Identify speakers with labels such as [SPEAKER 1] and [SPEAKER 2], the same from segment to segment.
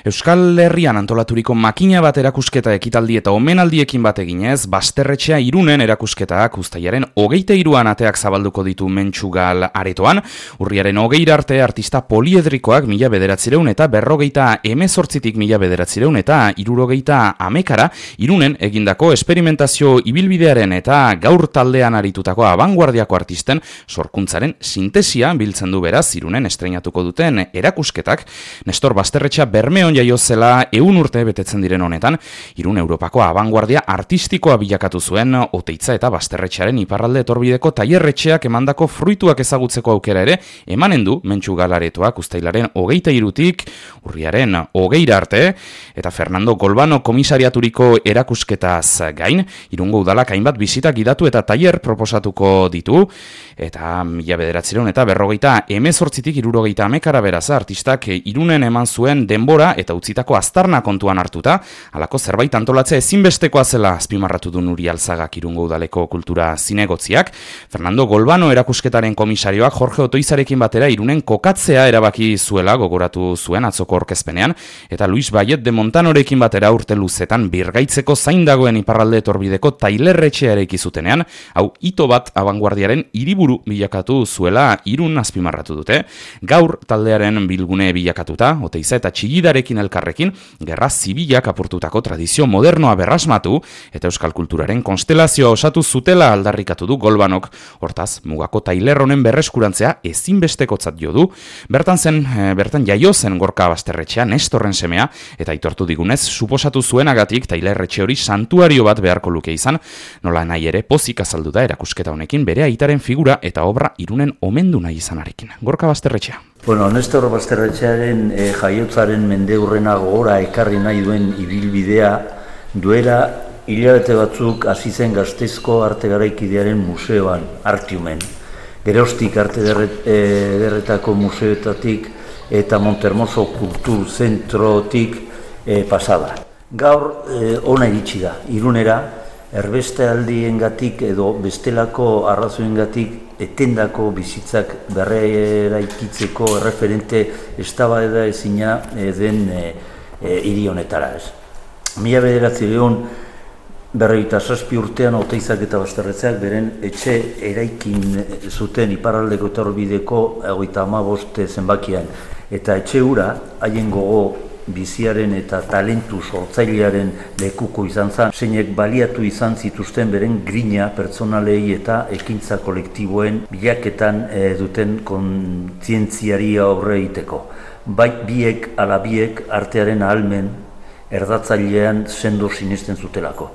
[SPEAKER 1] Euskal Herrian antolaturiko makina bat erakusketa ekitaldi eta omenaldiekin bat eginez, Basterretxea Irunen erakusketak uztailaren 23an ateak zabalduko ditu Mentxugal aretoan. Urriaren 20 arte artista poliedrikoak 1900 eta 58tik 1900 eta 70 Irunen egindako esperimentazio ibilbidearen eta gaur taldean aritutako abanguardiako artisten sorkuntzaren sintesia biltzen du beraz Irunen estreinatuko duten erakusketak. Nestor Basterretxea Bermeon jaio zela 100 urte betetzen diren honetan, Irun Europako abanguardia artistikoa bilakatu zuen Oteitza eta Basterretxearen iparralde etorbideko tailerretxeak emandako fruituak ezagutzeko aukera ere emanen du Mentxugal aretoak uztailaren 23tik urriaren 20 arte, eta Fernando Golbano komisariaturiko erakusketaz gain, Irungo udalak hainbat bisita gidatu eta tailer proposatuko ditu, eta 1900 eta 1918tik 1970 beraz artistak Irunen eman zuen denbora eta utzitako aztarna kontuan hartuta, halako zerbait antolatzea ezinbestekoa zela azpimarratu du Nuri Alzagak Irungo udaleko kultura zinegotziak. Fernando Golbano erakusketaren komisarioak Jorge Otoizarekin batera Irunen kokatzea erabaki zuela gogoratu zuen atzoko aurkezpenean, eta Luis Bayet de Montanorekin batera urte luzetan birgaitzeko zain dagoen iparralde etorbideko tailerretxea eraiki zutenean, hau hito bat abanguardiaren hiriburu bilakatu zuela Irun azpimarratu dute. Gaur taldearen bilgune bilakatuta, Oteiza eta Txigidarekin elkarrekin, gerra zibilak apurtutako tradizio modernoa berrasmatu eta euskal kulturaren konstelazioa osatu zutela aldarrikatu du Golbanok. Hortaz, mugako tailer honen berreskurantzea ezinbestekotzat jo du. Bertan jaio zen Gorka Basterretxea Nestorren semea, eta aitortu digunez, suposatu zuenagatik tailerretxe hori santuario bat beharko luke izan, nola nahi ere pozik azaldu da erakusketa honekin bere aitaren figura eta obra Irunen omendu nahi izanarekin. Gorka Basterretxea.
[SPEAKER 2] Bueno, Nestor Basterretxearen jaiotzaren mendeurrena gogora ekarri nahi duen ibilbidea duela hilabete batzuk hasi zen Gasteizko arte garaikidearen museoan, Artiumen. Geroztik arte ederretako museoetatik eta Montermoso Kultur Zentrotik pasada. Gaur ona iritsi da, Irunera, erbeste aldiengatik edo bestelako arrazoengatik etendako bizitzak berreraikitzeko erreferente eztabaida ezina den hiri honetara. 1957 urtean Oteizak eta Basterretxeak beren etxe eraikin zuten iparraldeko etorbideko 55 zenbakian, eta etxe hura haien gogo biziaren eta talentu sortzailearen lekuko izan zen, zeinek baliatu izan zituzten beren grina pertsonalei eta ekintza kolektiboen bilaketan duten kontzientziari aurre egiteko. Bai biek ala biek artearen ahalmen erdatzailean sendo sinesten zutelako.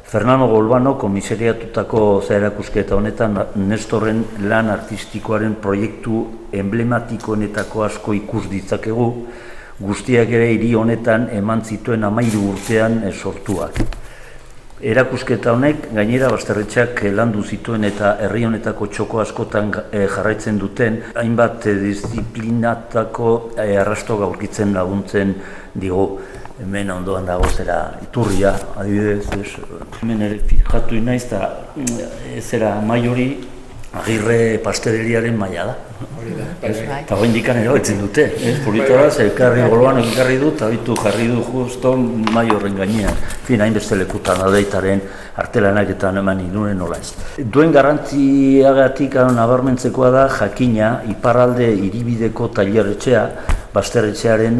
[SPEAKER 2] Fernando Golbano komisariatutako erakusketa honetan Nestorren lan artistikoaren proiektu emblematikoenetako asko ikus ditzakegu, guztiak ere hiri honetan eman zituen 13 urtean sortuak. Erakusketa honek gainera Basterretxeak landu zituen eta herri honetako txoko askotan jarraitzen duten hainbat disiplinatako arrasto aurkitzen laguntzen digu. Hemen ondoan dago zera Iturria, adibidez, hemen ere fijatu naiz eta zera Maiori Agirre pasteleriaren maila da. Eta hori indikan erabetzen dute, polita da, ekarri Golbano ekarri du, eta bitu jarri du justo Maiorren gainean. Fin, hainbeste lekutan adeitaren artelanak eta eman Irunen nola ez. Duen garrantziagatik nabarmentzekoa da jakina iparralde hiribideko tailerretxea, Basterretxearen,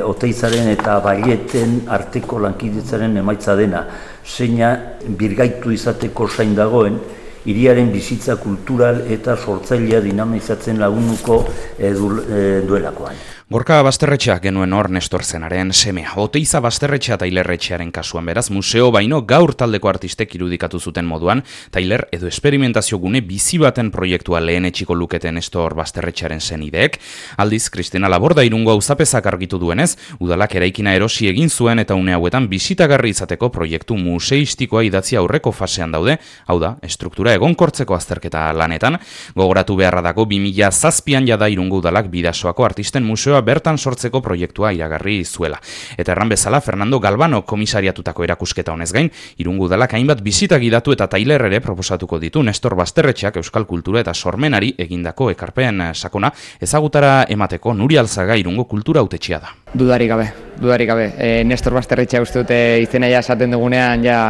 [SPEAKER 2] Oteizaren eta Baieten arteko lankidetzaren emaitza dena, zeina birgaitu izateko zain dagoen, hiriaren bizitza kultural eta sortzailea dinamizatzen lagunduko duelakoan.
[SPEAKER 1] Gorka Basterretxea genuen hor Nestor zenaren semea. Oteiza Basterretxea tailerretxearen kasuan beraz, museo baino gaur taldeko artistek irudikatu zuten moduan, tailer edo esperimentazio gune bizi baten proiektua lehen etxiko luketen Nestor Basterretxearen zenideek. Aldiz, Kristina Laborda Irungo auzapezak argitu duenez, udalak eraikina erosi egin zuen eta une hauetan bisitagarri izateko proiektu museistikoa idatzi aurreko fasean daude, hau da, estruktura dagoela egonkortzeko azterketa lanetan. Gogoratu beharra dago 2007an jada Irungo Udalak Bidasoako Artisten Museoa bertan sortzeko proiektua iragarri zuela. Eta erran bezala Fernando Galvano komisariatutako erakusketa honez gain, Irungo Udalak hainbat bisita gidatu eta tailer ere proposatuko ditu Nestor Basterretxeak euskal kultura eta sormenari egindako ekarpen sakona ezagutara emateko Nuria Alzaga Irungo kultura hautetxea da.
[SPEAKER 3] Dudarik gabe. Nestor Basterretxea uste dute izena ja esaten dugunean ja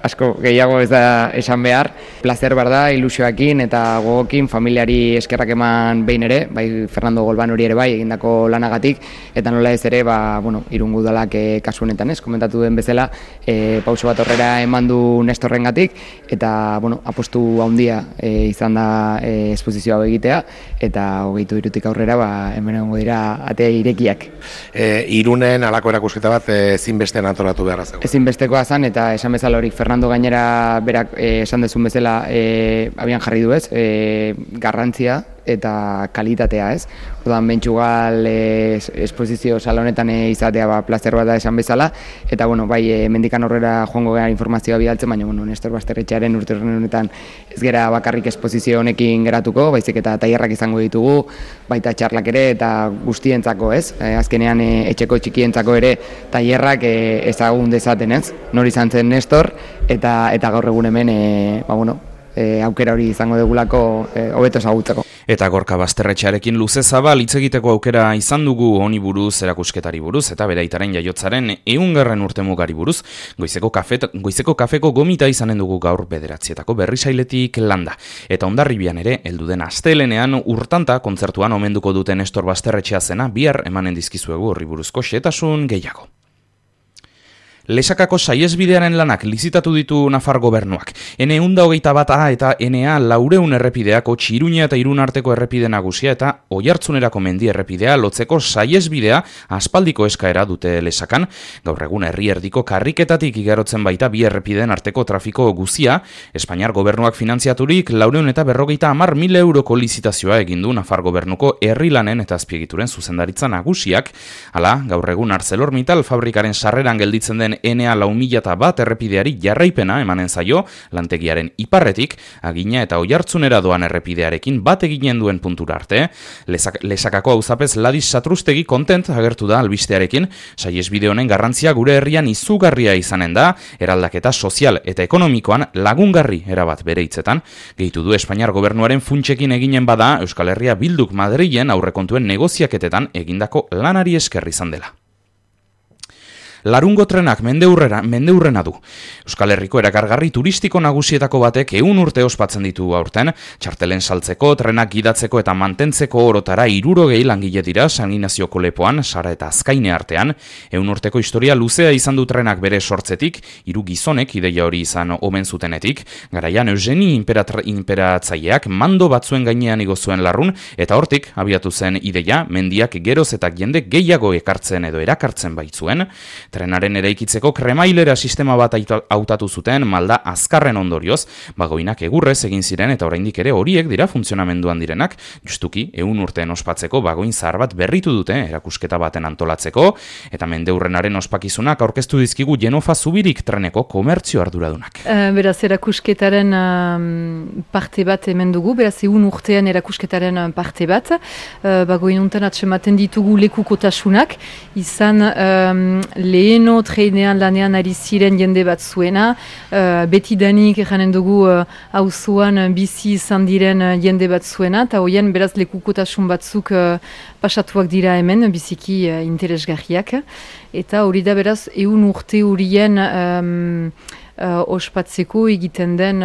[SPEAKER 3] asko gehiago ez da esan behar. Plazer bar da, ilusioakin eta gogokin familiari eskerrak eman behin ere, bai Fernando Galvanori ere bai egindako lanagatik, eta nola ez ere, Irungo Udalak kasu honetan ez, komentatu den bezala, pauso bat horrera eman du Nestorrengatik, eta apostu handia izan da esposizio hau egitea, eta 23 aurrera hemen egongo dira ate irekiak.
[SPEAKER 4] Irunen halako erakusketa bat ezinbestean antolatu beharra zegoen.
[SPEAKER 3] Ezinbestekoa zen, eta esan bezala hori Fernando gainera berak esan dezun bezala abian jarri du ez, garrantzia eta kalitatea ez. Orduan Mentxugal esposizio salonetan izatea plazer bat da esan bezala, eta bai mendikan horrera joango gara informazioa bidaltzen, baina Nestor Basterretxearen urte honetan ez gera bakarrik esposizio honekin geratuko, baizik eta tailerrak izango ditugu, baita txarlak ere eta guztientzako ez. Azkenean etxeko txikientzako ere tailerrak ezagun dezaten ez. Nor izan zen Nestor, eta gaur egun hemen aukera hori izango dugulako hobeto ezagutzeko.
[SPEAKER 1] Eta Gorka Basterretxearekin luze zabal hitz egiteko aukera izan dugu honi buruz, erakusketari buruz, eta bere aitaren jaiotzaren 100. urtemugari buruz. Goizeko kafeko gomita izanen dugu gaur 9:00 Berrisailetik landa. Eta Hondarribian ere, heldu den astelenean urtanta kontzertuan omenduko duten Nestor Basterretxea zena, bihar emanen dizkizuegu horri buruzko xehetasun gehiago. Lesakako saihesbidearen lanak lizitatu ditu Nafar gobernuak. N121A eta NA 400 errepideako Iruña eta Irun arteko errepide nagusia eta Oiartzunerako mendi errepidea lotzeko saihesbidea aspaldiko eskaera dute Lesakan. Gaur egun herri erdiko karriketatik igarotzen baita bi errepideen arteko trafiko guzia. Espainiar gobernuak finantziaturik 450.000 euroko lizitazioa egin du Nafar gobernuko herri lanen eta azpiegituren zuzendaritza nagusiak. Hala, gaur egun ArcelorMittal fabrikaren sarreran gelditzen den NA 4001 errepideari jarraipena emanen zaio, lantegiaren iparretik, Agina eta Oiartzunera doan errepidearekin bat eginen duen puntura arte. Lesakako auzapez Ladis Satrustegi kontent agertu da albistearekin, saihesbide honen garrantzia gure herrian izugarria izanen da, eraldaketa sozial eta ekonomikoan lagungarri erabat bere hitzetan. Gehitu du Espainiar gobernuaren funtsekin eginen bada Euskal Herria Bilduk Madrilen aurrekontuen negoziaketetan egindako lanari esker izan dela. Larungo trenak mendeurrena du. Euskal Herriko erakargarri turistiko nagusietako batek 100 urte ospatzen ditu aurten, txartelen saltzeko, trenak gidatzeko eta mantentzeko orotara 60 langile dira San Ignazioko lepoan, Sara eta Azkaine artean. 100 urteko historia luzea izan du trenak bere sortzetik, 3 gizonek ideia hori izan omen zutenetik, garaian Eugeni inperatzaileak mando batzuen gainean igo zuen larrun, eta hortik abiatu zen ideia mendiak geroz eta jende gehiago ekartzen edo erakartzen baitzuen. Trenaren eraikitzeko kremailera sistema bat hautatu zuten malda azkarren ondorioz, bagoinak egurrez egin ziren eta oraindik ere horiek dira funtzionamenduan direnak, justuki 100 urteen ospatzeko bagoin zahar bat berritu dute erakusketa baten antolatzeko, eta mendeurrenaren ospakizunak aurkeztu dizkigu Jenofa Zubirik treneko komertzio arduradunak.
[SPEAKER 5] Beraz, erakusketaren parte bat hemen dugu, beraz 100 urtean erakusketaren parte bat, bagoin untan atsematen ditugu lekukotasunak, izan leheno trenean lanean ari ziren jende bat zuena, betidanik eranen dugu auzoan bizi izan diren jende bat zuena, eta hoien beraz lekukotasun batzuk pasatuak dira hemen, biziki interesgarriak, eta hori da beraz 100 urte horien ospatzeko egiten den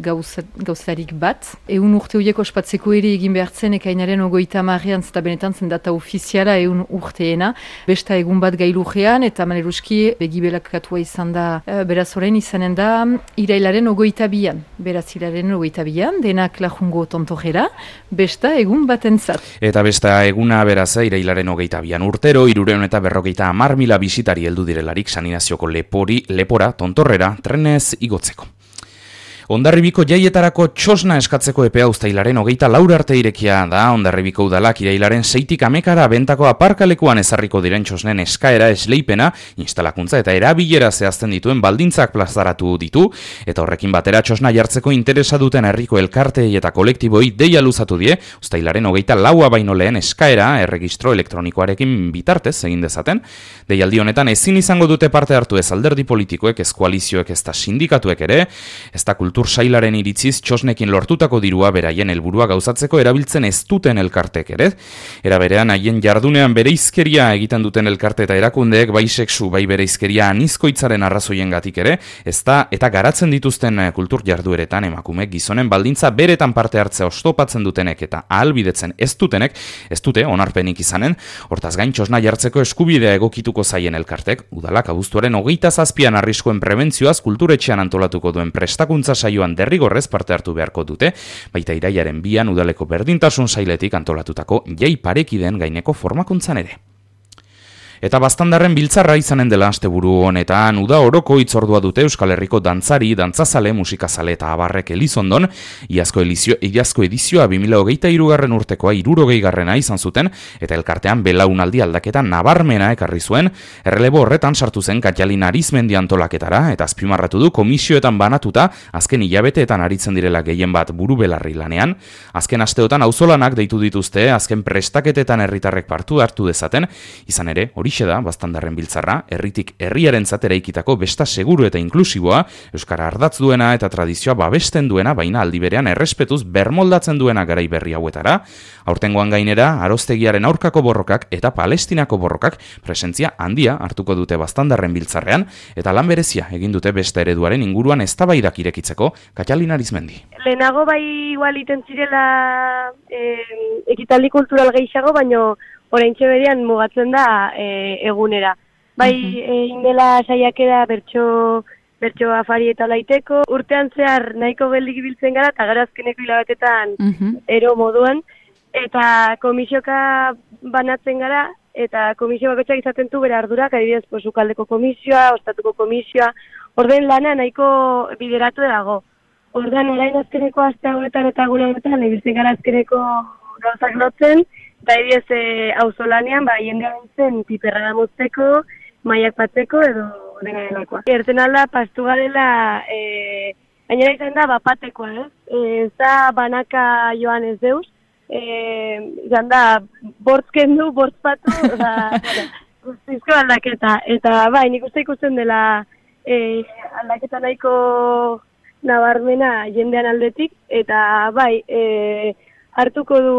[SPEAKER 5] gauzarik bat. 100 urte horiek ospatzeko ere egin behartzen ekainaren 30 zeta benetan zen data ofiziala 100 urteena. Besta egun bat gailujean eta maneruski begibelakatua izan da beraz orain izanen da irailaren 22an. Beraz irailaren 22an denak lajungo tontojera, besta egun batentzat.
[SPEAKER 1] Eta besta eguna beraz irailaren 22an urtero 350.000 bisitari heldu direlarik San Ignazioko lepora tontorrera trenez igotzeko. Hondarribiko jaietarako txosna eskatzeko epea uztailaren 24 arte irekia da. Hondarribiko udalak irailaren 6tik 10 bentako aparkalekuan ezarriko diren txosnen eskaera esleipena, instalakuntza eta erabilera zehazten dituen baldintzak plazaratu ditu, eta horrekin batera txosna jartzeko interesa duten herriko elkarteei eta kolektiboi deia luzatu die, uztailaren 24 baino lehen eskaera erregistro elektronikoarekin bitartez egin dezaten. Deialdi honetan ezin izango dute parte hartu ez alderdi politikoek, ez koalizioek, ez da sindikatuek ere, ez da kultur sailaren iritziz txosnekin lortutako dirua beraien helburua gauzatzeko erabiltzen ez duten elkartek ere. Era berean haien jardunean bereizkeria egiten duten elkarte eta erakundeek bai sexu bai bereizkeria anizkoitzaren arrazoiengatik ere, ez da eta garatzen dituzten kultur jardueretan emakumeek gizonen baldintza beretan parte hartzea oztopatzen dutenek eta ahalbidetzen ez dutenek, ez dute onarpenik izanen. Hortaz gain txosna jartzeko eskubidea egokituko zaien elkartek, udalak abuztuaren 27an arriskuen prebentzioaz kulturetxean antolatuko duen prestakuntza saioan derrigorrez parte hartu beharko dute, baita irailaren 2an udaleko berdintasun sailetik antolatutako jai parekideen gaineko formakuntzan ere. Eta Baztandarren biltzarra izanen dela asteburu honetan, uda oroko hitzordua dute Euskal Herriko dantzari, dantzazale, musikazale eta abarrek Elizondon, iazko edizioa 2023 urtekoa 60garrena izan zuten, eta elkartean belaunaldi aldaketa nabarmena ekarri zuen, errelebo horretan sartu zen Katalin Arizmendi antolaketara, eta azpimarratu du komisioetan banatuta, azken hilabeteetan aritzen direla gehien bat buru belarri lanean, azken asteotan auzolanak deitu dituzte, azken prestaketetan herritarrek partu hartu dezaten, izan ere, horixe da Baztandarren biltzarra, herritik herriarentzat eraikitako besta seguru eta inklusiboa, euskara ardatz duena eta tradizioa babesten duena, baina aldi berean errespetuz bermoldatzen duena garai berri hauetara. Aurtengoan gainera, Arostegiaren aurkako borrokak eta Palestinako borrokak presentzia handia hartuko dute Baztandarren biltzarrean, eta lan berezia egin dute besta ereduaren inguruan eztabaidak irekitzeko. Katalin Arizmendi.
[SPEAKER 6] Lehenago bai igual iten zirela ekitaldi kultural gehiago, baino oraintxe berian mugatzen da egunera. Bai, indela saiakera bertso afari eta laiteko, urtean zehar nahiko geldik ibiltzen gara, eta gara azkeneko hilabetetan ero moduan, eta komisioka banatzen gara, eta komisio bakotxak izaten du bere ardurak, adibidez, Sukaldeko komisioa, Ostatuko komisioa, orden lana nahiko bideratu dago. Ordan orain azkeneko aste hauetan eta gure hauetan, ibiltzen gara azkeneko gauzak lotzen, eta adibidez auzolanean, jendea zen piperra da mozteko, maiak batzeko edo dena delakoa. Erten alda, pastu garela, gainera izan da, bapatekoa, ez da banaka joan ez deuz, izan da, bortzken du, bortzpatu, guztizko aldaketa. Eta nik uste ikusten dela aldaketa nahiko nabarmena jendean aldetik, eta hartuko du,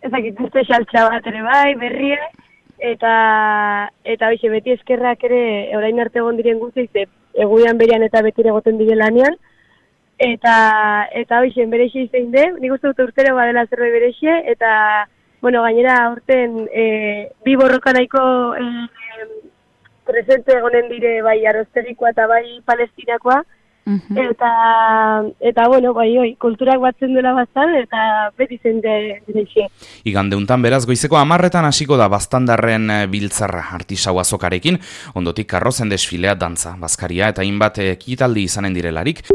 [SPEAKER 6] ezakit, beste xaltxa bat ere berria, eta hoxe, beti eskerrak ere, orain arte egon diren guztiz, egunean berian eta beti egoten dire lanean, eta hoxe, berexe izain de, nik uste dut urtero badela zerbait berexe, eta, gainera aurten bi borroka nahiko presente egonen dire bai Arostegikoa eta bai Palestinakoa, eta kulturak batzen duela bastan, eta beti zen direixe.
[SPEAKER 1] Igandeuntan beraz goizeko 10etan hasiko da Baztandarren biltzarra artisau azokarekin, ondotik karrozen desfilea, dantza, bazkaria eta hainbat ekitaldi izanen direlarik.